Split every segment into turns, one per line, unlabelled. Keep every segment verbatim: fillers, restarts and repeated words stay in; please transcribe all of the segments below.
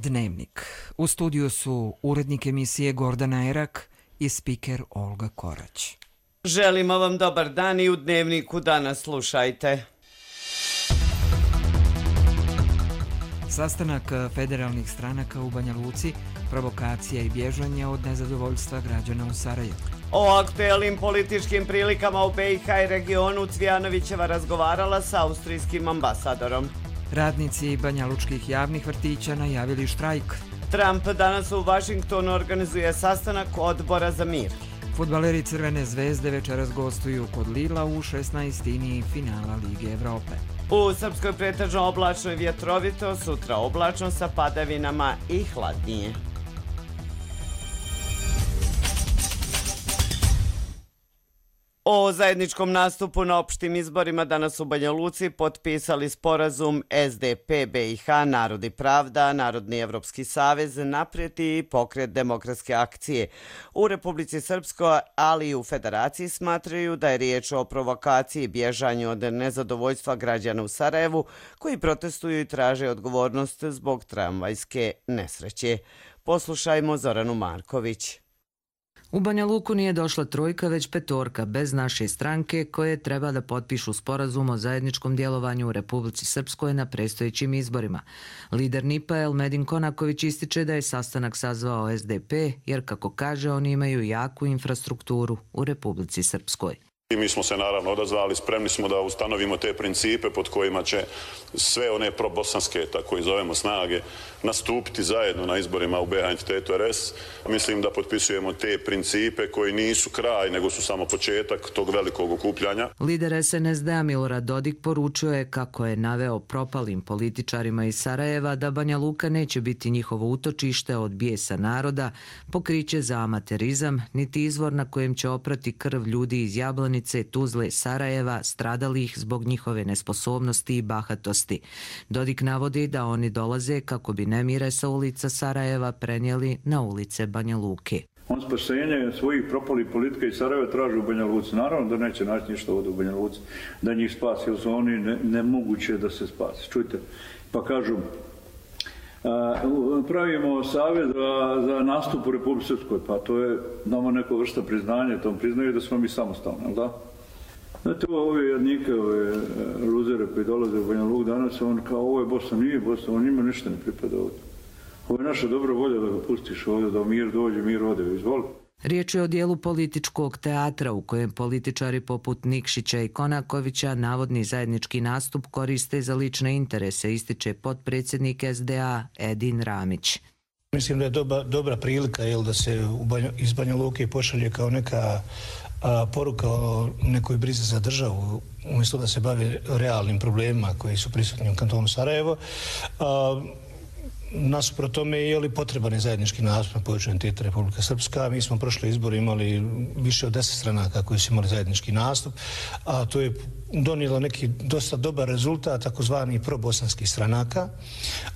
Dnevnik. U studiju su urednik emisije Gordana Erak i spiker Olga Korać.
Želimo vam dobar dan i u Dnevniku danas slušajte.
Sastanak federalnih stranaka u Banja Luci, provokacija i bježanje od nezadovoljstva građana u Sarajevu.
O aktuelnim političkim prilikama u be i ha i regionu Cvijanovićeva razgovarala sa austrijskim ambasadorom.
Radnici banjalučkih javnih vrtića najavili štrajk.
Trump danas u Vašingtonu organizuje sastanak odbora za mir.
Fudbaleri Crvene zvezde večeras gostuju kod Lila u šesnaestini finala Lige Evrope.
U Srpskoj pretežno oblačno i vjetrovito, sutra oblačno sa padavinama i hladnije. O zajedničkom nastupu na opštim izborima danas u Banja Luci potpisali sporazum es de pe be i ha, Narod i pravda, Narodni evropski savez, Naprijed i Pokret demokratske akcije. U Republici Srpskoj, ali i u Federaciji smatraju da je riječ o provokaciji i bježanju od nezadovoljstva građana u Sarajevu koji protestuju i traže odgovornost zbog tramvajske nesreće. Poslušajmo Zoranu Marković.
U Banja Luku nije došla trojka, već petorka, bez naše stranke, koje treba da potpišu sporazum o zajedničkom djelovanju u Republici Srpskoj na predstojećim izborima. Lider en i pe a Elmedin Konaković ističe da je sastanak sazvao es de pe, jer kako kaže, oni imaju jaku infrastrukturu u Republici Srpskoj.
I mi smo se naravno odazvali, spremni smo da ustanovimo te principe pod kojima će sve one probosanske, tako i zovemo, snage nastupiti zajedno na izborima u be ha entitetu er es. Mislim da potpisujemo te principe koji nisu kraj, nego su samo početak tog velikog okupljanja.
Lider es en es de a Milorad Dodik poručio je kako je naveo propalim političarima iz Sarajeva da Banja Luka neće biti njihovo utočište od bijesa naroda, pokriće za amaterizam, niti izvor na kojem će oprati krv ljudi iz Jablani, Tuzle, Sarajeva, stradalih zbog njihove nesposobnosti i bahatosti. Dodik navodi da oni dolaze kako bi nemire sa ulica Sarajeva prenijeli na ulice Banja Luke.
On spasenje svojih propalih politika iz Sarajeva traži u Banja Luci. Naravno da neće naći ništa ovdje u Banja Luci, da njih spasi, jer su oni ne, nemoguće da se spasi. Čujte, pa kažu, a, pravimo savjet za, za nastup u Republici Srpskoj, pa to je nama neka vrsta priznanja, tom priznaju da smo mi samostalni, da? Znate, ove jednike, ove luzere koji dolaze u Banja Luk danas, on kao, ovo je Bosna, nije Bosna, on njima ništa ne pripada ovdje. Ovo je naša dobra volja da ga pustiš ovdje, da mir dođe, mir ode, izvoli.
Riječ je o dijelu političkog teatra u kojem političari poput Nikšića i Konakovića navodni zajednički nastup koriste za lične interese, ističe potpredsjednik es de a Edin Ramić.
Mislim da je dobra, dobra prilika jel, da se u Banja, iz Banja Luke pošalje kao neka a, poruka o nekoj brizi za državu, umjesto da se bave realnim problemima koji su prisutni u kantonu Sarajevo. A, Nasuprot tome je li potreban je zajednički nastup na području entiteta Republika Srpska. Mi smo prošli izbor imali više od deset stranaka koji su imali zajednički nastup, a to je donijelo neki dosta dobar rezultat takozvani probosanskih stranaka,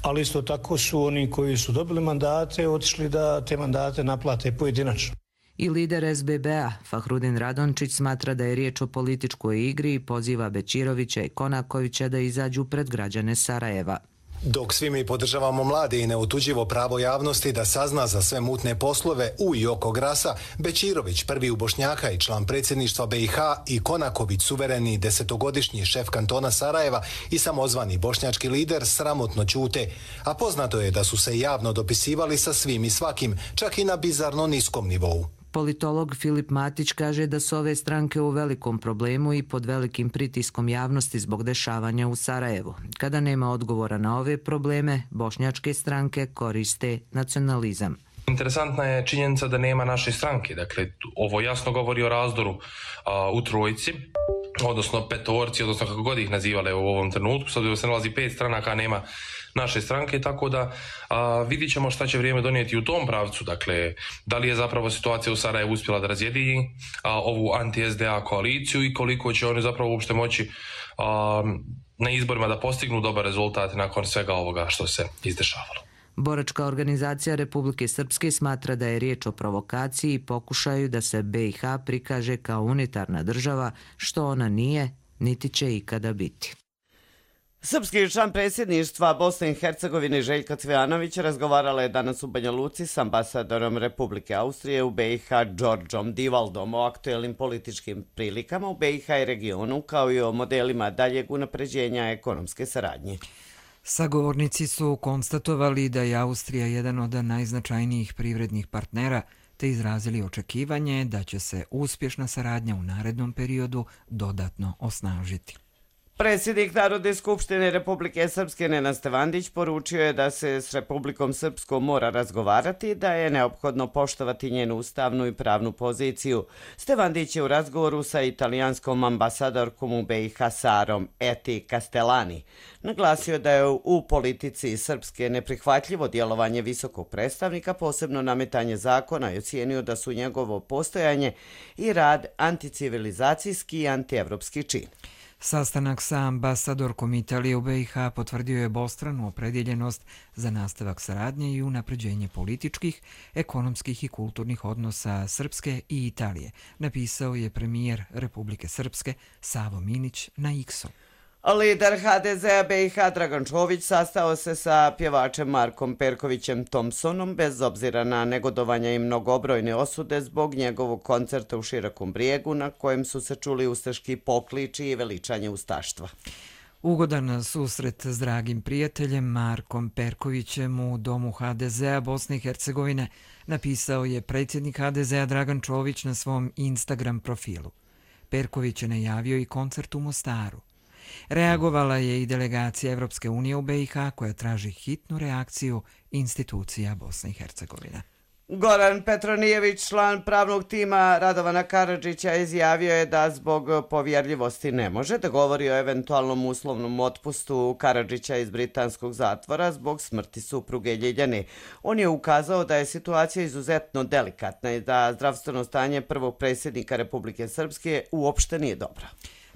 ali isto tako su oni koji su dobili mandate otišli da te mandate naplate pojedinačno.
I lider es be be a Fahrudin Radončić smatra da je riječ o političkoj igri i poziva Bećirovića i Konakovića da izađu pred građane Sarajeva.
Dok svi mi podržavamo mlade i neotuđivo pravo javnosti da sazna za sve mutne poslove u i oko Grasa, Bećirović, prvi u Bošnjaka i član predsjedništva be i ha, i Konaković, suvereni desetogodišnji šef kantona Sarajeva i samozvani bošnjački lider, sramotno ćute. A poznato je da su se javno dopisivali sa svim i svakim, čak i na bizarno niskom nivou.
Politolog Filip Matić kaže da su ove stranke u velikom problemu i pod velikim pritiskom javnosti zbog dešavanja u Sarajevu. Kada nema odgovora na ove probleme, bošnjačke stranke koriste nacionalizam.
Interesantna je činjenica da nema naše stranke. Dakle, ovo jasno govori o razdoru a, u trojci, odnosno petorci, odnosno kako god ih nazivale u ovom trenutku. Sad se nalazi pet stranaka, nema naše stranke, tako da a, vidit ćemo šta će vrijeme donijeti u tom pravcu. Dakle, da li je zapravo situacija u Sarajevu uspjela da razjedini a, ovu anti-es de a koaliciju i koliko će oni zapravo uopšte moći a, na izborima da postignu dobar rezultat nakon svega ovoga što se izdešavalo.
Boračka organizacija Republike Srpske smatra da je riječ o provokaciji i pokušaju da se be i ha prikaže kao unitarna država, što ona nije, niti će ikada biti.
Srpski član predsjedništva Bosne i Hercegovine Željka Cvijanović razgovarala je danas u Banja Luci s ambasadorom Republike Austrije u be i ha Đorđom Divaldom o aktuelnim političkim prilikama u be i ha i regionu, kao i o modelima daljeg unapređenja ekonomske saradnje.
Sagovornici su konstatovali da je Austrija jedan od najznačajnijih privrednih partnera, te izrazili očekivanje da će se uspješna saradnja u narednom periodu dodatno osnažiti.
Predsjednik Narodne skupštine Republike Srpske Nenad Stevandić poručio je da se s Republikom Srpskom mora razgovarati, da je neophodno poštovati njenu ustavnu i pravnu poziciju. Stevandić je u razgovoru sa italijanskom ambasadorkom u be i ha Sarom Eti Castellani naglasio da je u politici Srpske neprihvatljivo djelovanje visokog predstavnika, posebno nametanje zakona, i ocijenio da su njegovo postojanje i rad anticivilizacijski i antievropski čin.
Sastanak sa ambasadorkom Italije u be i ha potvrdio je obostranu opredjeljenost za nastavak saradnje i unapređenje političkih, ekonomskih i kulturnih odnosa Srpske i Italije, napisao je premijer Republike Srpske Savo Minić na X-u.
Lider ha de zea be i ha Dragan Čović sastao se sa pjevačem Markom Perkovićem Thompsonom bez obzira na negodovanja i mnogobrojne osude zbog njegovog koncerta u Širokom Brijegu na kojem su se čuli ustaški pokliči i veličanje ustaštva.
Ugodan susret s dragim prijateljem Markom Perkovićem u domu ha de zea Bosne i Hercegovine napisao je predsjednik ha de zea Dragan Čović na svom Instagram profilu. Perković je najavio i koncert u Mostaru. Reagovala je i delegacija Evropske unije u be i ha koja traži hitnu reakciju institucija Bosne i Hercegovine.
Goran Petronijević, član pravnog tima Radovana Karadžića, izjavio je da zbog povjerljivosti ne može da govori o eventualnom uslovnom otpustu Karadžića iz britanskog zatvora zbog smrti supruge Ljiljane. On je ukazao da je situacija izuzetno delikatna i da zdravstveno stanje prvog predsjednika Republike Srpske uopšte nije dobro.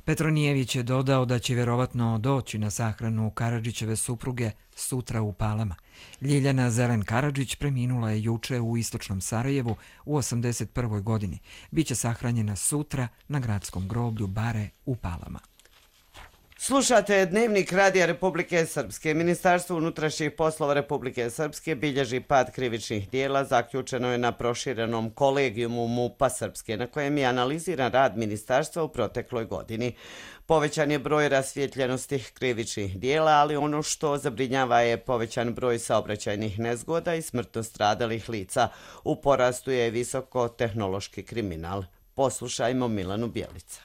Petronijević je dodao da će vjerovatno doći na sahranu Karadžićeve supruge sutra u Palama. Ljiljana Zelen Karadžić preminula je juče u istočnom Sarajevu u osamdeset prvoj godini. Biće sahranjena sutra na gradskom groblju Bare u Palama.
Slušate Dnevnik Radija Republike Srpske. Ministarstvo unutrašnjih poslova Republike Srpske bilježi pad krivičnih dijela, zaključeno je na proširenom kolegijumu MUP-a Srpske, na kojem je analiziran rad ministarstva u protekloj godini. Povećan je broj rasvjetljenosti krivičnih dijela, ali ono što zabrinjava je povećan broj saobraćajnih nezgoda i smrtno stradalih lica. U porastu je visokotehnološki kriminal. Poslušajmo Milanu Bjelica.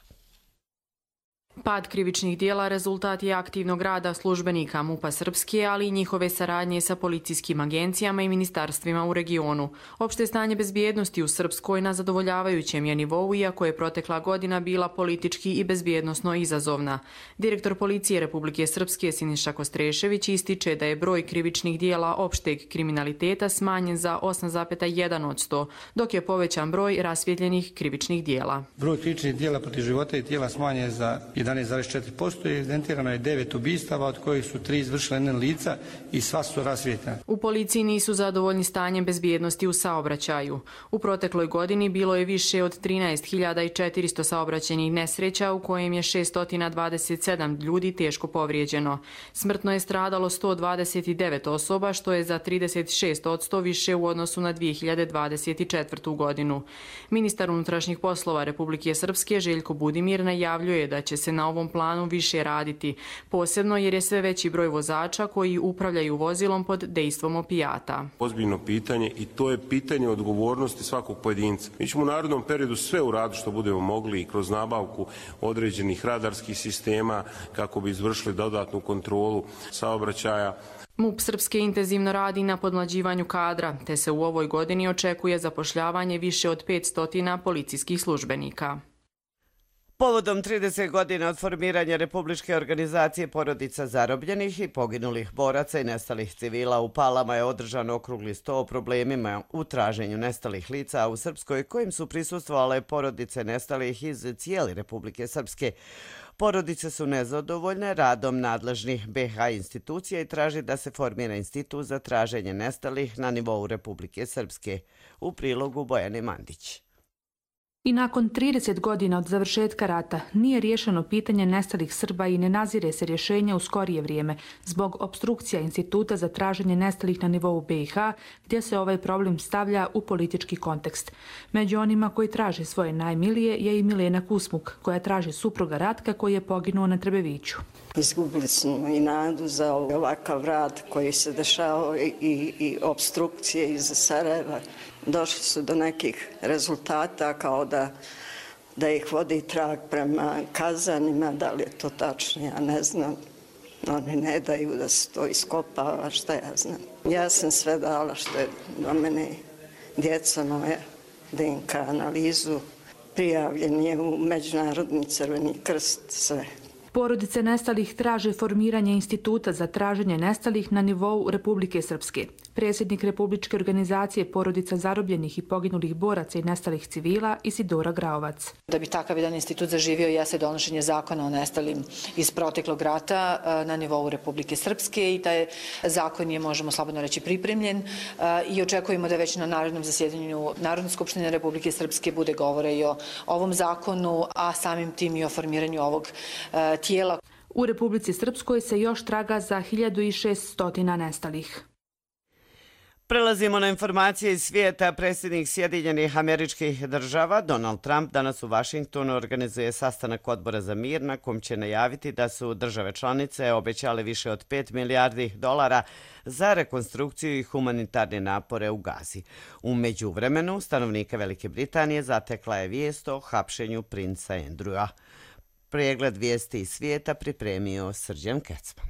Pad krivičnih dijela rezultat je aktivnog rada službenika MUP-a Srpske, ali i njihove saradnje sa policijskim agencijama i ministarstvima u regionu. Opšte stanje bezbjednosti u Srpskoj na zadovoljavajućem je nivou, iako je protekla godina bila politički i bezbjednosno izazovna. Direktor policije Republike Srpske Siniša Kostrešević ističe da je broj krivičnih dijela opšteg kriminaliteta smanjen za osam zarez jedan posto, dok je povećan broj rasvjetljenih krivičnih dijela.
Broj krivičnih dijela protiv života i tijela smanjen za jedanaest zarez četiri posto i evidentirano je devet ubistava, od kojih su tri izvršile N N lica i sva su rasvjetljena.
U policiji nisu zadovoljni stanjem bezbjednosti u saobraćaju. U protekloj godini bilo je više od trinaest hiljada četiristo saobraćajnih nesreća, u kojem je šesto dvadeset sedam ljudi teško povrijeđeno. Smrtno je stradalo sto dvadeset devet osoba, što je za trideset šest posto više u odnosu na dvije hiljade dvadeset četvrtu. godinu. Ministar unutrašnjih poslova Republike Srpske Željko Budimir najavljuje da će se na ovom planu više raditi, posebno jer je sve veći broj vozača koji upravljaju vozilom pod dejstvom opijata.
Ozbiljno pitanje i to je pitanje odgovornosti svakog pojedinca. Mi ćemo u narednom periodu sve uraditi što budemo mogli i kroz nabavku određenih radarskih sistema kako bi izvršili dodatnu kontrolu saobraćaja.
MUP Srpske intenzivno radi na podmlađivanju kadra, te se u ovoj godini očekuje zapošljavanje više od petsto policijskih službenika.
Povodom trideset godina od formiranja Republičke organizacije porodica zarobljenih i poginulih boraca i nestalih civila u Palama je održan okrugli sto o problemima u traženju nestalih lica u Srpskoj, kojim su prisustvovale porodice nestalih iz cijele Republike Srpske. Porodice su nezadovoljne radom nadležnih be ha institucija i traži da se formira institut za traženje nestalih na nivou Republike Srpske. U prilogu Bojane Mandić.
I nakon trideset godina od završetka rata nije riješeno pitanje nestalih Srba i ne nazire se rješenja u skorije vrijeme zbog opstrukcija Instituta za traženje nestalih na nivou B i H, gdje se ovaj problem stavlja u politički kontekst. Među onima koji traže svoje najmilije je i Milena Kusmuk, koja traži supruga Ratka koji je poginuo na Trebeviću.
Izgubili smo i nadu za ovakav rad koji se dešavao i, i, i opstrukcije iz Sarajeva. Došli su do nekih rezultata kao da, da ih vodi trag prema kazanima, da li je to tačno, ja ne znam. Oni ne daju da se to iskopava, šta ja znam. Ja sam sve dala što je do mene djeca moja, D N K analizu, prijavljen je u Međunarodni crveni krst, sve.
Porodice nestalih traže formiranje Instituta za traženje nestalih na nivou Republike Srpske. Predsjednik Republičke organizacije porodica zarobljenih i poginulih boraca i nestalih civila Isidora Graovac.
Da bi takav jedan institut zaživio jeste donošenje zakona o nestalim iz proteklog rata na nivou Republike Srpske i taj zakon je, možemo slobodno reći, pripremljen i očekujemo da već na narednom zasjedanju Narodne skupštine Republike Srpske bude govore i o ovom zakonu, a samim tim i o formiranju ovog tijela.
U Republici Srpskoj se još traga za hiljadu šesto nestalih.
Prelazimo na informacije iz svijeta. Predsjednik Sjedinjenih Američkih Država Donald Trump danas u Vašingtonu organizuje sastanak Odbora za mir na kom će najaviti da su države članice obećale više od pet milijardi dolara za rekonstrukciju i humanitarne napore u Gazi. U međuvremenu stanovnika Velike Britanije zatekla je vijest o hapšenju princa Andrewa. Pregled vijesti iz svijeta pripremio Srđan Kecman.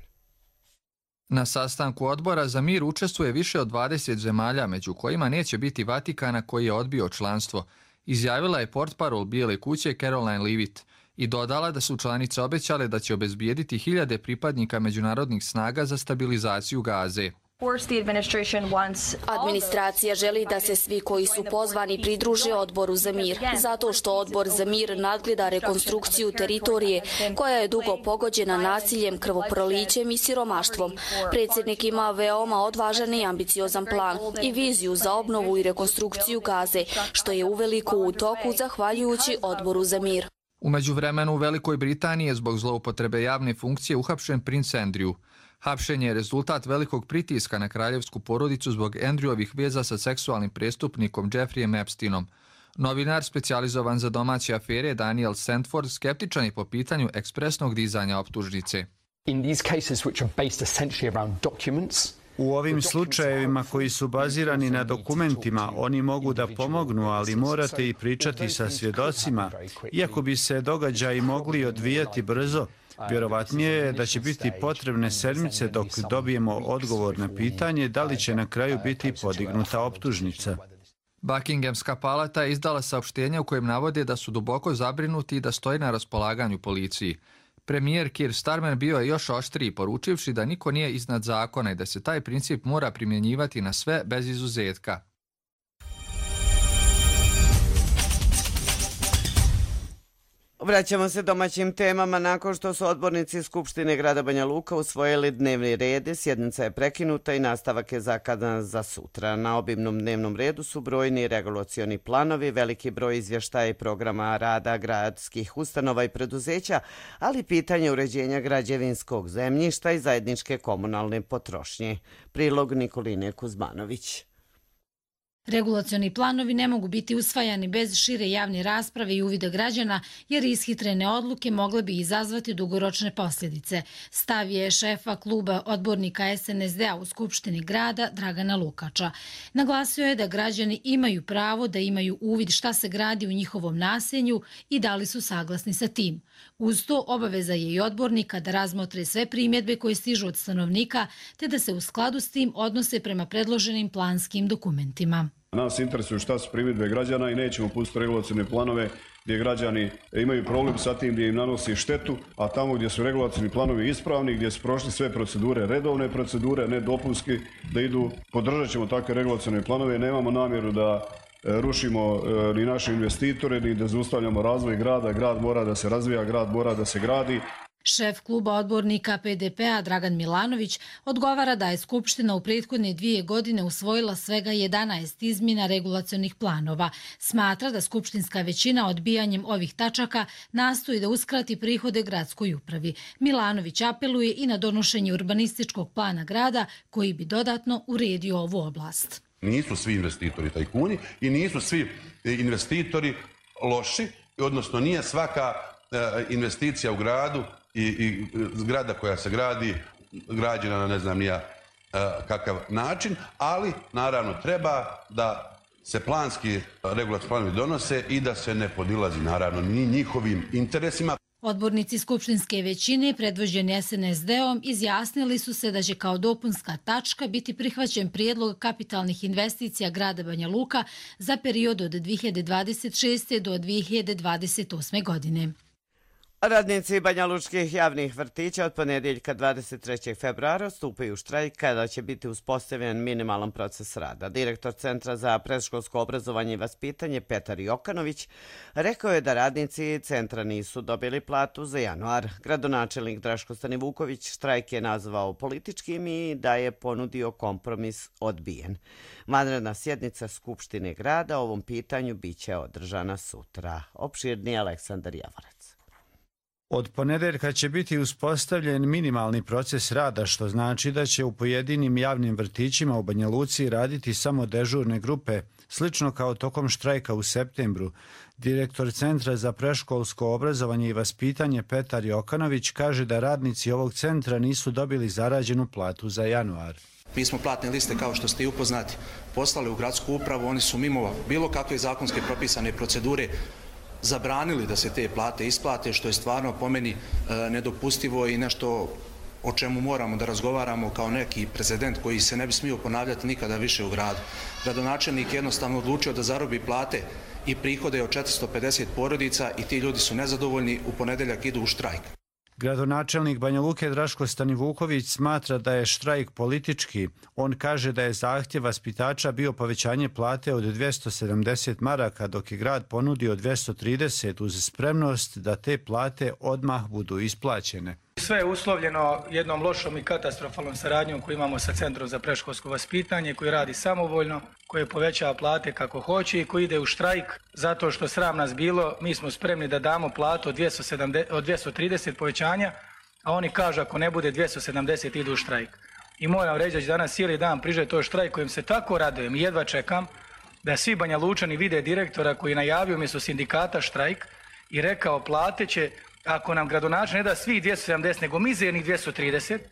Na sastanku Odbora za mir učestvuje više od dvadeset zemalja, među kojima neće biti Vatikana koji je odbio članstvo, izjavila je portparol Bijele kuće Caroline Leavitt i dodala da su članice obećale da će obezbijediti hiljade pripadnika međunarodnih snaga za stabilizaciju Gaze.
Administracija želi da se svi koji su pozvani pridruže Odboru za mir, zato što Odbor za mir nadgleda rekonstrukciju teritorije koja je dugo pogođena nasiljem, krvoprolićem i siromaštvom. Predsjednik ima veoma odvažan i ambiciozan plan i viziju za obnovu i rekonstrukciju Gaze, što je uveliko u toku zahvaljujući Odboru za mir.
U međuvremenu u Velikoj Britaniji je zbog zloupotrebe javne funkcije uhapšen princ Andrew. Hapšenje je rezultat velikog pritiska na kraljevsku porodicu zbog Andrewovih veza sa seksualnim prestupnikom Jeffreyem Epsteinom. Novinar specijalizovan za domaće afere Daniel Sandford skeptičan je po pitanju ekspresnog dizanja optužnice.
U ovim slučajevima koji su bazirani na dokumentima, oni mogu da pomognu, ali morate i pričati sa svjedocima. Iako bi se događaji mogli odvijati brzo, vjerovatnije je da će biti potrebne sedmice dok dobijemo odgovor na pitanje da li će na kraju biti podignuta optužnica.
Buckinghamska palata je izdala saopštenje u kojem navode da su duboko zabrinuti i da stoji na raspolaganju policiji. Premijer Keir Starmer bio je još oštriji, poručivši da niko nije iznad zakona i da se taj princip mora primjenjivati na sve bez izuzetka.
Vraćamo se domaćim temama. Nakon što su odbornici Skupštine grada Banja Luka usvojili dnevni red, sjednica je prekinuta i nastavak je zakadan za sutra. Na obimnom dnevnom redu su brojni regulacioni planovi, veliki broj izvještaja i programa rada gradskih ustanova i preduzeća, ali pitanje uređenja građevinskog zemljišta i zajedničke komunalne potrošnje. Prilog Nikoline Kuzmanović.
Regulacioni planovi ne mogu biti usvajani bez šire javne rasprave i uvida građana, jer ishitrene odluke mogle bi izazvati dugoročne posljedice. Stav je šefa kluba odbornika S N S D-a u Skupštini grada Dragana Lukača. Naglasio je da građani imaju pravo da imaju uvid šta se gradi u njihovom naselju i da li su saglasni sa tim. Uz to obaveza je i odbornika da razmotre sve primjedbe koje stižu od stanovnika, te da se u skladu s tim odnose prema predloženim planskim dokumentima.
Nas interesuju šta su primjedbe građana i nećemo pustiti regulacione planove gdje građani imaju problem sa tim, gdje im nanosi štetu, a tamo gdje su regulacioni planovi ispravni, gdje su prošli sve procedure, redovne procedure, ne dopunski, da idu, podržat ćemo takve regulacione planove. Nemamo namjeru da rušimo ni naše investitore, ni da zaustavljamo razvoj grada. Grad mora da se razvija, grad mora da se gradi.
Šef kluba odbornika P D P-a Dragan Milanović odgovara da je Skupština u prethodne dvije godine usvojila svega jedanaest izmjena regulacionih planova. Smatra da skupštinska većina odbijanjem ovih tačaka nastoji da uskrati prihode gradskoj upravi. Milanović apeluje i na donošenje urbanističkog plana grada koji bi dodatno uredio ovu oblast.
Nisu svi investitori tajkuni i nisu svi investitori loši, odnosno nije svaka investicija u gradu i, i zgrada koja se gradi, građena na ne znam nija kakav način, ali naravno treba da se planski regulatorni planovi donose i da se ne podilazi naravno ni njihovim interesima.
Odbornici skupštinske većine, predvođeni S N S D-om, izjasnili su se da će kao dopunska tačka biti prihvaćen prijedlog kapitalnih investicija grada Banja Luka za period od dvije hiljade dvadeset šeste. do dvije hiljade dvadeset osme. godine.
Radnici banjalučkih javnih vrtića od ponedjeljka dvadeset trećeg februara stupaju u štrajk kada će biti uspostavljen minimalan proces rada. Direktor Centra za predškolsko obrazovanje i vaspitanje Petar Jokanović rekao je da radnici centra nisu dobili platu za januar. Gradonačelnik Draško Stanivuković štrajk je nazvao političkim i da je ponudio kompromis odbijen. Vanredna sjednica Skupštine grada o ovom pitanju biće održana sutra. Opširniji Aleksandar Javorac.
Od ponedeljka će biti uspostavljen minimalni proces rada, što znači da će u pojedinim javnim vrtićima u Banja Luci raditi samo dežurne grupe, slično kao tokom štrajka u septembru. Direktor Centra za predškolsko obrazovanje i vaspitanje Petar Jokanović kaže da radnici ovog centra nisu dobili zarađenu platu za januar.
Mi smo platne liste, kao što ste i upoznati, poslali u gradsku upravu, oni su mimo bilo kakve zakonske propisane procedure zabranili da se te plate isplate, što je stvarno po meni nedopustivo i nešto o čemu moramo da razgovaramo kao neki precedent koji se ne bi smio ponavljati nikada više u gradu. Gradonačelnik je jednostavno odlučio da zarobi plate i prihode od četiristo pedeset porodica i ti ljudi su nezadovoljni, u ponedeljak idu u štrajk.
Gradonačelnik Banja Luke Draško Stanivuković smatra da je štrajk politički. On kaže da je zahtjev vaspitača bio povećanje plate od dvjesto sedamdeset maraka, dok je grad ponudio dvjesto trideset uz spremnost da te plate odmah budu isplaćene.
Sve je uslovljeno jednom lošom i katastrofalnom saradnjom koju imamo sa Centrom za predškolsko vaspitanje, koji radi samovoljno, koji povećava plate kako hoće i koji ide u štrajk zato što sram nas bilo. Mi smo spremni da damo platu od dvjesto sedamdeset, od dvjesto trideset povećanja, a oni kažu ako ne bude dvjesto sedamdeset idu u štrajk. I moram reći da će danas cijeli dan priže to štrajk kojim se tako radujem i jedva čekam da svi Banja Lučani vide direktora koji najavio umjesto sindikata štrajk i rekao plate će, ako nam gradonačelnik ne da svih dvjesto sedamdeset, nego mizernih dvjesto trideset,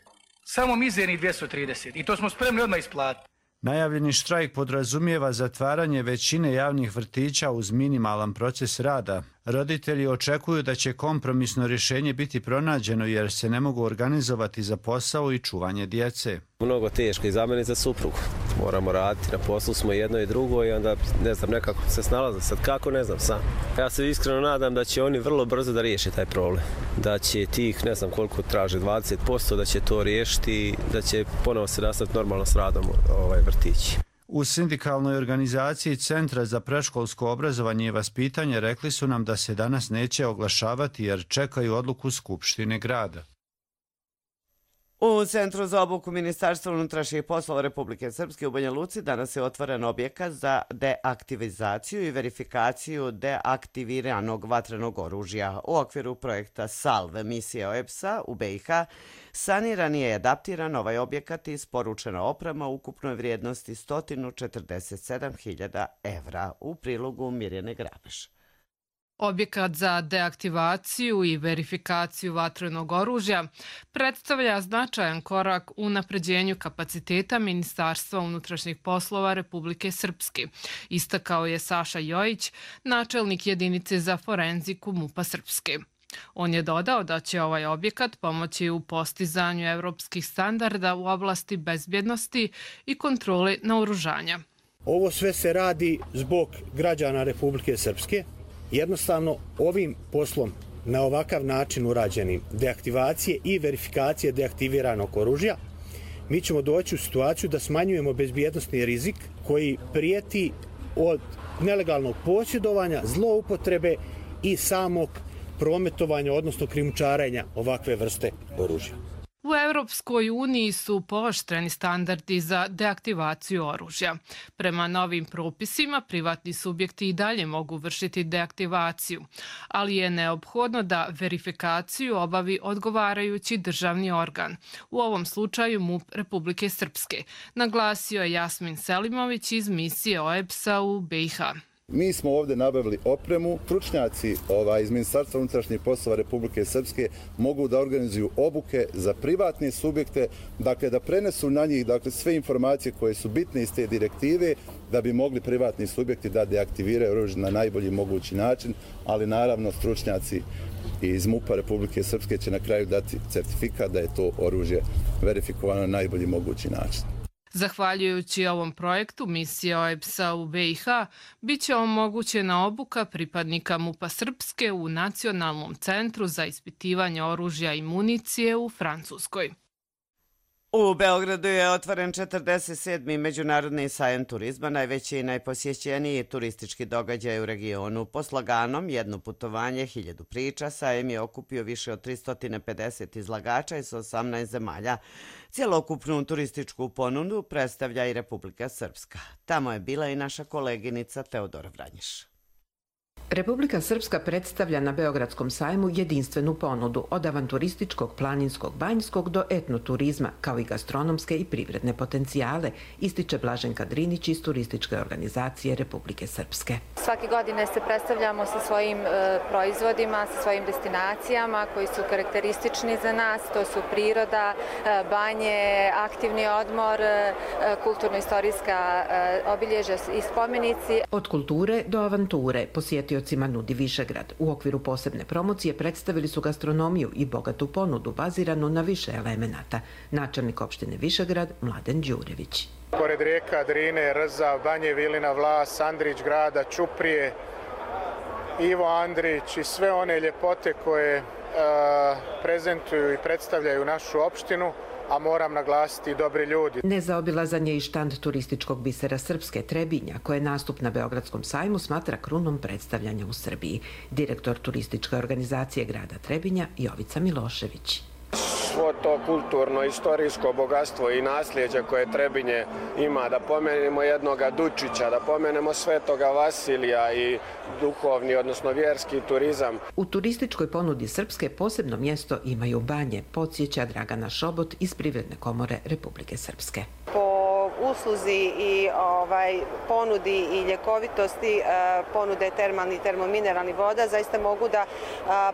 samo mizernih dvjesto trideset. I to smo spremni odmah isplatiti.
Najavljeni štrajk podrazumijeva zatvaranje većine javnih vrtića uz minimalan proces rada. Roditelji očekuju da će kompromisno rješenje biti pronađeno jer se ne mogu organizovati za posao i čuvanje djece.
Mnogo teško i za mene i za suprugu. Moramo raditi, na poslu smo jedno i drugo i onda ne znam, nekako se snalaze. Sad kako, ne znam sam. Ja se iskreno nadam da će oni vrlo brzo da riješe taj problem. Da će tih, ne znam koliko traže, dvadeset posto, da će to riješiti i da će ponovo se nastaviti normalno s radom ovaj vrtići.
U sindikalnoj organizaciji Centra za predškolsko obrazovanje i vaspitanje rekli su nam da se danas neće oglašavati jer čekaju odluku Skupštine grada.
U Centru za obuku Ministarstva unutrašnjih poslova Republike Srpske u Banja Luci danas je otvoren objekat za deaktivizaciju i verifikaciju deaktiviranog vatrenog oružja. U okviru projekta SALVE, misije O E B S-a u B i H, saniran je i adaptiran ovaj objekat i isporučena oprema u ukupnoj vrijednosti sto četrdeset sedam hiljada evra. U prilogu Mirjane Grabeš.
Objekat za deaktivaciju i verifikaciju vatrenog oružja predstavlja značajan korak u napređenju kapaciteta Ministarstva unutrašnjih poslova Republike Srpske, istakao je Saša Jojić, načelnik jedinice za forenziku MUP-a Srpske. On je dodao da će ovaj objekat pomoći u postizanju evropskih standarda u oblasti bezbjednosti i kontrole naoružanja.
Ovo sve se radi zbog građana Republike Srpske. Jednostavno, ovim poslom na ovakav način urađenim deaktivacije i verifikacije deaktiviranog oružja, mi ćemo doći u situaciju da smanjujemo bezbjednosni rizik koji prijeti od nelegalnog posjedovanja, zloupotrebe i samog prometovanja, odnosno krijumčarenja ovakve vrste oružja.
U Evropskoj uniji su pooštreni standardi za deaktivaciju oružja. Prema novim propisima, privatni subjekti i dalje mogu vršiti deaktivaciju, ali je neophodno da verifikaciju obavi odgovarajući državni organ, u ovom slučaju MUP Republike Srpske, naglasio je Jasmin Selimović iz misije O E B S-a u B i H.
Mi smo ovdje nabavili opremu. Stručnjaci ovaj, iz Ministarstva unutrašnjih poslova Republike Srpske mogu da organizuju obuke za privatne subjekte, dakle da prenesu na njih dakle, sve informacije koje su bitne iz te direktive da bi mogli privatni subjekti da deaktiviraju oružje na najbolji mogući način, ali naravno stručnjaci iz MUP-a Republike Srpske će na kraju dati certifikat da je to oružje verifikovano na najbolji mogući način.
Zahvaljujući ovom projektu, misija O E B S-a u B i H bit će omogućena obuka pripadnika MUP-a Srpske u Nacionalnom centru za ispitivanje oružja i municije u Francuskoj.
U Beogradu je otvoren četrdeset sedmi Međunarodni sajam turizma, najveći i najposjećeniji turistički događaj u regionu. Po sloganom Jedno putovanje, hiljadu priča, sajem je okupio više od tristo pedeset izlagača iz osamnaest zemalja. Cijelokupnu turističku ponudu predstavlja i Republika Srpska. Tamo je bila i naša koleginica Teodora Vranjiš.
Republika Srpska predstavlja na Beogradskom sajmu jedinstvenu ponudu od avanturističkog, planinskog, banjskog do etnoturizma, kao i gastronomske i privredne potencijale, ističe Blaženka Drinić iz turističke organizacije Republike Srpske.
Svake godine se predstavljamo sa svojim e, proizvodima, sa svojim destinacijama koji su karakteristični za nas. To su priroda, e, banje, aktivni odmor, e, kulturno-istorijska e, obilježja i spomenici.
Od kulture do avanture posjetio nudi Višegrad. U okviru posebne promocije predstavili su gastronomiju i bogatu ponudu baziranu na više elemenata. Načelnik opštine Višegrad Mladen Đurević.
Pored rijeka Drine, Rza, Banje Vilina, Vlas, Andrić grada, Ćuprije, Ivo Andrić i sve one ljepote koje a, prezentuju i predstavljaju našu opštinu, a moram naglasiti i dobri ljudi.
Nezaobilazan je i štand turističkog bisera Srpske Trebinja, koje nastup na Beogradskom sajmu smatra krunom predstavljanja u Srbiji. Direktor turističke organizacije grada Trebinja Jovica Milošević.
Svo to kulturno, istorijsko bogatstvo i nasljeđe koje Trebinje ima, da pomenemo jednoga Dučića, da pomenemo Svetoga Vasilija i duhovni, odnosno vjerski turizam.
U turističkoj ponudi Srpske posebno mjesto imaju banje, podsjeća Dragana Šobot iz Privredne komore Republike Srpske.
Po usluzi i ovaj, ponudi i ljekovitosti ponude termalni i termomineralni voda zaista mogu da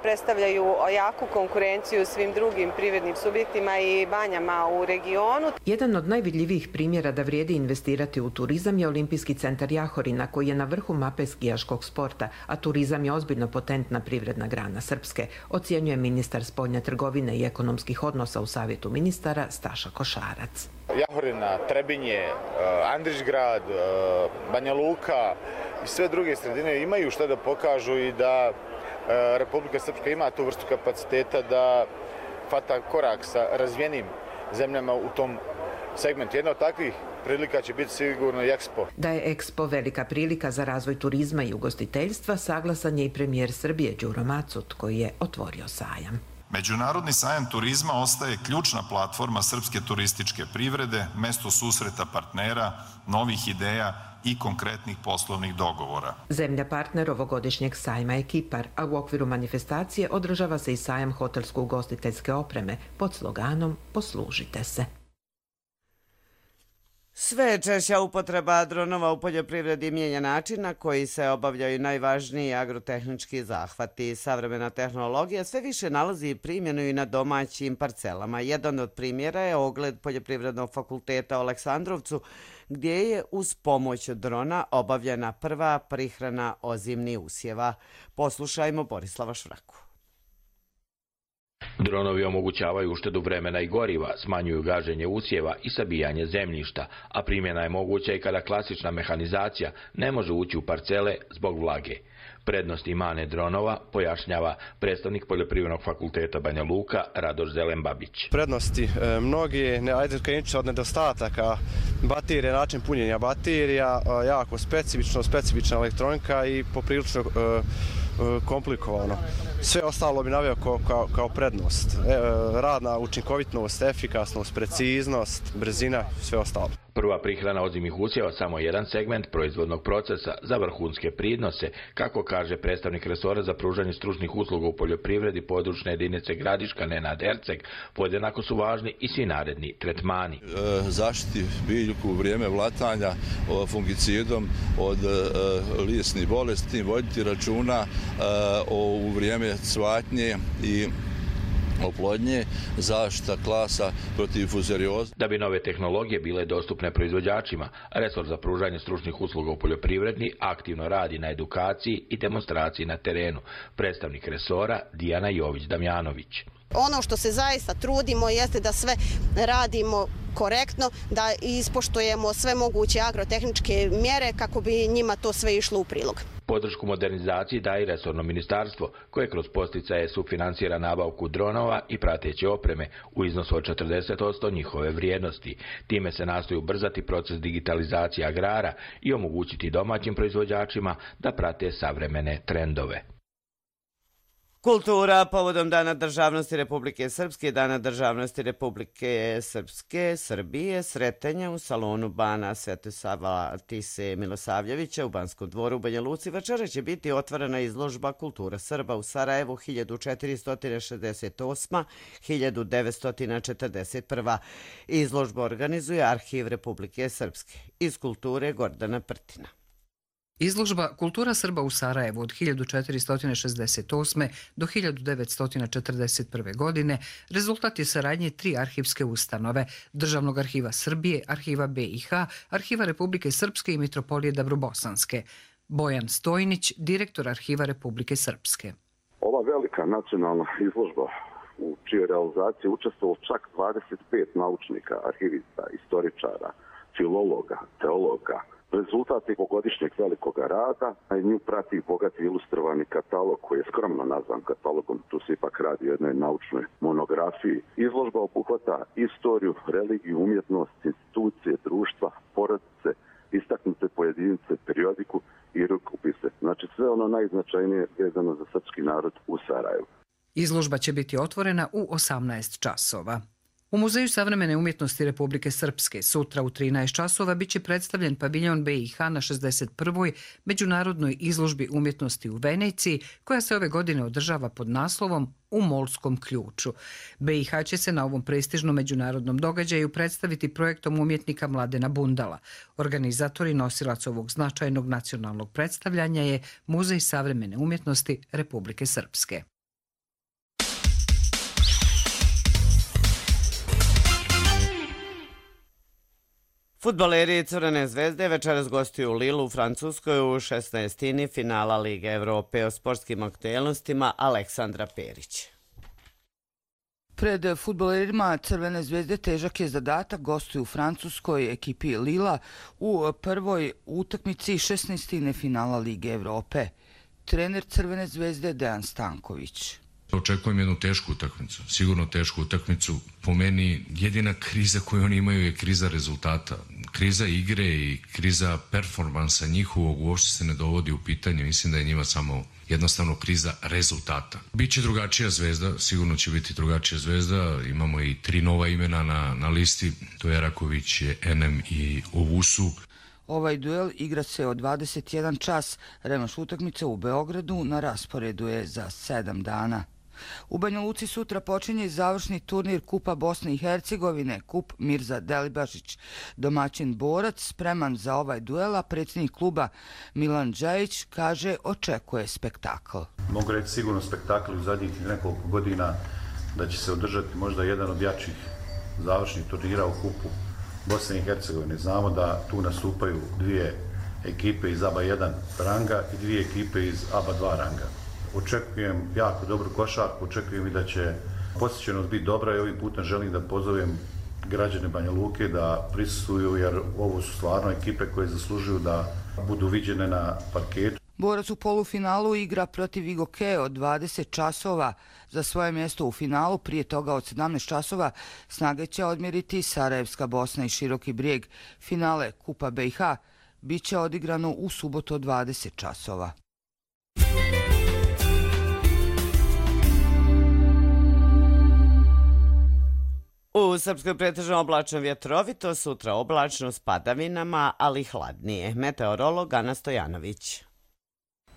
predstavljaju jaku konkurenciju svim drugim privrednim subjektima i banjama u regionu.
Jedan od najvidljivijih primjera da vrijedi investirati u turizam je Olimpijski centar Jahorina, koji je na vrhu mape skijaškog sporta, a turizam je ozbiljno potentna privredna grana Srpske, ocjenjuje ministar spoljne trgovine i ekonomskih odnosa u Savjetu ministara Staša Košarac.
Jahorina, Trebinje, Andrićgrad, Banja Luka i sve druge sredine imaju što da pokažu i da Republika Srpska ima tu vrstu kapaciteta da hvata korak sa razvijenim zemljama u tom segmentu. Jedna od takvih prilika će biti sigurno i Expo.
Da je Expo velika prilika za razvoj turizma i ugostiteljstva, saglasan je i premijer Srbije Đuro Macut, koji je otvorio sajam.
Međunarodni sajam turizma ostaje ključna platforma srpske turističke privrede, mesto susreta partnera, novih ideja i konkretnih poslovnih dogovora.
Zemlja partner ovogodišnjeg sajma je Kipar, a u okviru manifestacije održava se i sajam hotelsko-ugostiteljske opreme pod sloganom Poslužite se.
Sve češća upotreba dronova u poljoprivredi mijenja način na koji se obavljaju najvažniji agrotehnički zahvati. Savremena tehnologija sve više nalazi primjenu i na domaćim parcelama. Jedan od primjera je ogled Poljoprivrednog fakulteta u Aleksandrovcu, gdje je uz pomoć drona obavljena prva prihrana ozimnih usjeva. Poslušajmo Borislava Švraku.
Dronovi omogućavaju uštedu vremena i goriva, smanjuju gaženje usjeva i sabijanje zemljišta, a primjena je moguća i kada klasična mehanizacija ne može ući u parcele zbog vlage. Prednost i mane dronova pojašnjava predstavnik Poljoprivrednog fakulteta Banja Luka Radoš Zelenbabić.
Prednosti e, mnogi, ne, ajde krenući od nedostataka baterije, način punjenja baterija, e, jako specifično, specifična elektronika i poprilično e, komplikovano. Sve ostalo bi naveo kao, kao, kao prednost. E, radna učinkovitnost, efikasnost, preciznost, brzina, sve ostalo.
Prva prihrana ozimih usjeva samo jedan segment proizvodnog procesa za vrhunske prinose, kako kaže predstavnik resora za pružanje stručnih usluga u poljoprivredi područne jedinice Gradiška Nenad Erceg. Podjednako su važni i svi naredni tretmani.
E, zaštiti biljku u vrijeme vlatanja o, fungicidom od e, lisnih bolesti, voditi računa e, o, u vrijeme cvatnje i oplodnje, zaštita klasa protiv fuzarioze.
Da bi nove tehnologije bile dostupne proizvođačima, resor za pružanje stručnih usluga u poljoprivredi aktivno radi na edukaciji i demonstraciji na terenu. Predstavnik resora Dijana Jović-Damjanović.
Ono što se zaista trudimo jeste da sve radimo korektno, da ispoštujemo sve moguće agrotehničke mjere kako bi njima to sve išlo u prilog.
Podršku modernizaciji daje i resorno ministarstvo, koje kroz posticaje sufinansira nabavku dronova i prateće opreme u iznosu od četrdeset posto njihove vrijednosti. Time se nastoji ubrzati proces digitalizacije agrara i omogućiti domaćim proizvođačima da prate savremene trendove.
Kultura povodom Dana državnosti Republike Srpske i Dana državnosti Republike Srpske Srbije sretanja u salonu Bana Svetosava Tise Milosavljevića u Banskom dvoru u Banja Luci večera će biti otvorena izložba Kultura Srba u Sarajevu hiljadu četiristo šezdeset osma do hiljadu devetsto četrdeset prva. Izložba organizuje Arhiv Republike Srpske. Iz kulture Gordana Prtina.
Izložba Kultura Srba u Sarajevu od hiljadu četiristo šezdeset osme do hiljadu devetsto četrdeset prve. godine rezultat je saradnje tri arhivske ustanove, Državnog arhiva Srbije, Arhiva B i H, Arhiva Republike Srpske i Mitropolije Dabrobosanske. Bojan Stojnić, direktor Arhiva Republike Srpske.
Ova velika nacionalna izložba u čijoj realizaciji učestvovalo čak dvadeset pet naučnika, arhivista, istoričara, filologa, teologa, rezultat je pogodišnjeg velikog rada, a nju prati bogati ilustrovani katalog koji je skromno nazvan katalogom, tu se ipak radi o jednoj naučnoj monografiji. Izložba obuhvata istoriju, religiju, umjetnost, institucije, društva, porodice, istaknute pojedinice, periodiku i rukopise. Znači sve ono najznačajnije vezano za srpski narod u Sarajevu.
Izložba će biti otvorena u osamnaest časova. U Muzeju savremene umjetnosti Republike Srpske sutra u trinaest časova biće predstavljen paviljon B i H na šezdeset prvoj međunarodnoj izložbi umjetnosti u Veneciji, koja se ove godine održava pod naslovom U Molskom ključu. B i H će se na ovom prestižnom međunarodnom događaju predstaviti projektom umjetnika Mladena Bundala. Organizator i nosilac ovog značajnog nacionalnog predstavljanja je Muzej savremene umjetnosti Republike Srpske.
Fudbaleri Crvene zvezde večeras gostuju u Lilu u Francuskoj u šesnaestini finala Lige Evrope. O sportskim aktuelnostima Aleksandra Perić.
Pred fudbalerima Crvene zvezde težak je zadatak, gostuju u francuskoj ekipi Lila u prvoj utakmici šesnaestine finala Lige Evrope. Trener Crvene zvezde Dejan Stanković.
Očekujem jednu tešku utakmicu, sigurno tešku utakmicu. Po meni jedina kriza koju oni imaju je kriza rezultata. Kriza igre i kriza performansa njihovog uopšte se ne dovodi u pitanje. Mislim da je njima samo jednostavno kriza rezultata. Biće drugačija zvezda, sigurno će biti drugačija zvezda. Imamo i tri nova imena na, na listi. To je Eraković, Enem i Ovusu.
Ovaj duel igra se od dvadeset jedan čas. Revanš utakmice u Beogradu na rasporedu je za sedam dana. U Banja Luci sutra počinje završni turnir Kupa Bosne i Hercegovine, Kup Mirza Delibašić. Domaćin borac spreman za ovaj duel, a predsjednik kluba Milan Džajić kaže očekuje spektakl.
Mogu reći sigurno spektakl u zadnjih nekoliko godina da će se održati možda jedan od jačih završnih turnira u Kupu Bosne i Hercegovine. Znamo da tu nastupaju dvije ekipe iz A B A jedan ranga i dvije ekipe iz A B A dva ranga. Očekujem jako dobru košarku, očekujem i da će posjećenost biti dobra i ovim putem želim da pozovem građane Banja Luke da prisustvuju jer ovo su stvarno ekipe koje zaslužuju da budu viđene na parketu.
Borac u polufinalu igra protiv Igoke od dvadeset časova. Za svoje mjesto u finalu, prije toga od sedamnaest časova, snage će odmjeriti Sarajevska Bosna i Široki Brijeg. Finale Kupa B i H bit će odigrano u subotu od dvadeset časova.
U Srpskoj pretežno oblačno vjetrovito, sutra oblačno s padavinama, ali hladnije. Meteorolog Ana Stojanović.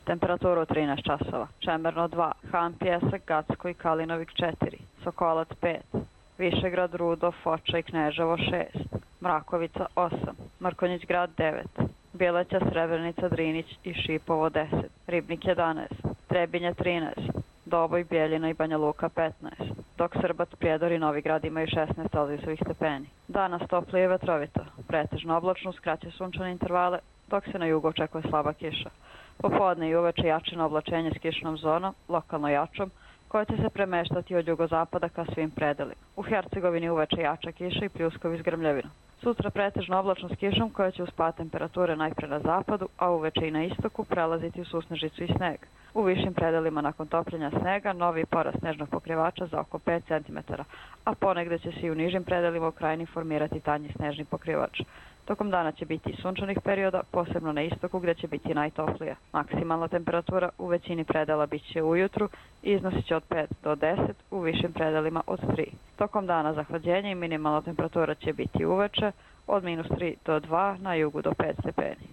Temperaturu trinaest časova. Čemerno dva, Han Pjesak, Gacko i Kalinovik četiri, Sokolac pet, Višegrad, Rudo, Foča i Kneževo šest, Mrakovica osam, Mrkonjić grad devet, Bjeleća, Srebrenica, Drinić i Šipovo deset, Ribnik jedanaest, Trebinje trinaest, Doboj, Bjeljina i Banja Luka petnaest, dok Srbac, Prijedor i Novi Grad imaju šesnaest Celzijusovih stepeni. Danas toplije i vetrovito, pretežno oblačno uz kraće sunčane intervale, dok se na jugu očekuje slaba kiša. Popodne i uveče jačino oblačenje s kišnom zonom, lokalno jačom, koja će se premeštati od jugozapada ka svim predelima. U Hercegovini uveče jača kiša i pljuskovi s grmljavinom. Sutra pretežno oblačno s kišom koja će uz pad temperature najpre na zapadu, a uveče i na istoku prelaziti u susnežicu i sneg. U višim predelima nakon topljenja snega novi porast snežnog pokrivača za oko pet centimetara, a ponegde će se i u nižim predelima u krajini formirati tanji snežni pokrivač. Tokom dana će biti i sunčanih perioda, posebno na istoku gdje će biti najtoplija. Maksimalna temperatura u većini predela bit će ujutru i iznosit će od pet do deset, u višim predelima od tri. Tokom dana zahlađenje i minimalna temperatura će biti uveče od minus tri do dva, na jugu do pet stepeni.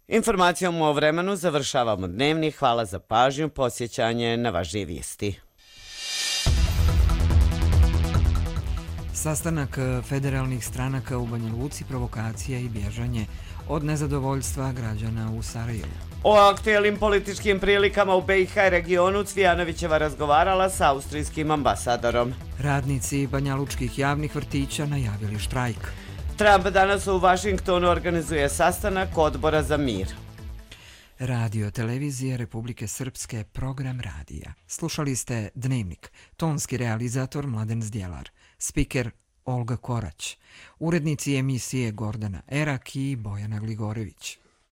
Informacijom o vremenu završavamo dnevni. Hvala za pažnju, posjećanje na važnije vijesti.
Sastanak federalnih stranaka u Banja Luci, provokacija i bježanje od nezadovoljstva građana u Sarajevu.
O aktuelnim političkim prilikama u B i H regionu Cvijanovićeva razgovarala sa austrijskim ambasadorom.
Radnici banjalučkih javnih vrtića najavili štrajk.
Trump danas u Vašingtonu organizuje sastanak Odbora za mir.
Radio televizije Republike Srpske, program radija. Slušali ste Dnevnik, tonski realizator Mladen Zdjelar, spiker Olga Korać, urednici emisije Gordana Erak i Bojana Gligorević.